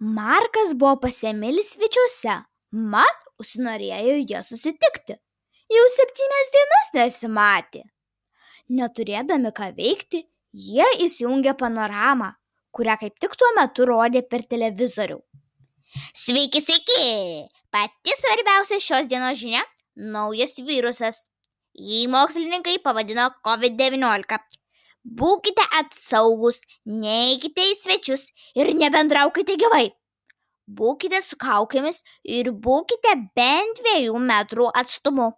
Markas buvo pas Emilį svečiuose, mat užsinorėjo jie susitikti. Jau 7 dienas nesimatė. Neturėdami ką veikti, jie įsijungė panoramą, kurią kaip tik tuo metu rodė per televizorių. Sveiki, sveiki! Pati svarbiausia šios dienos žinia – naujas virusas. Jį mokslininkai pavadino COVID-19. Būkite atsaugus, neikite į svečius ir nebendraukite gyvai. Būkite su kaukėmis ir būkite bent 2 metrų atstumu.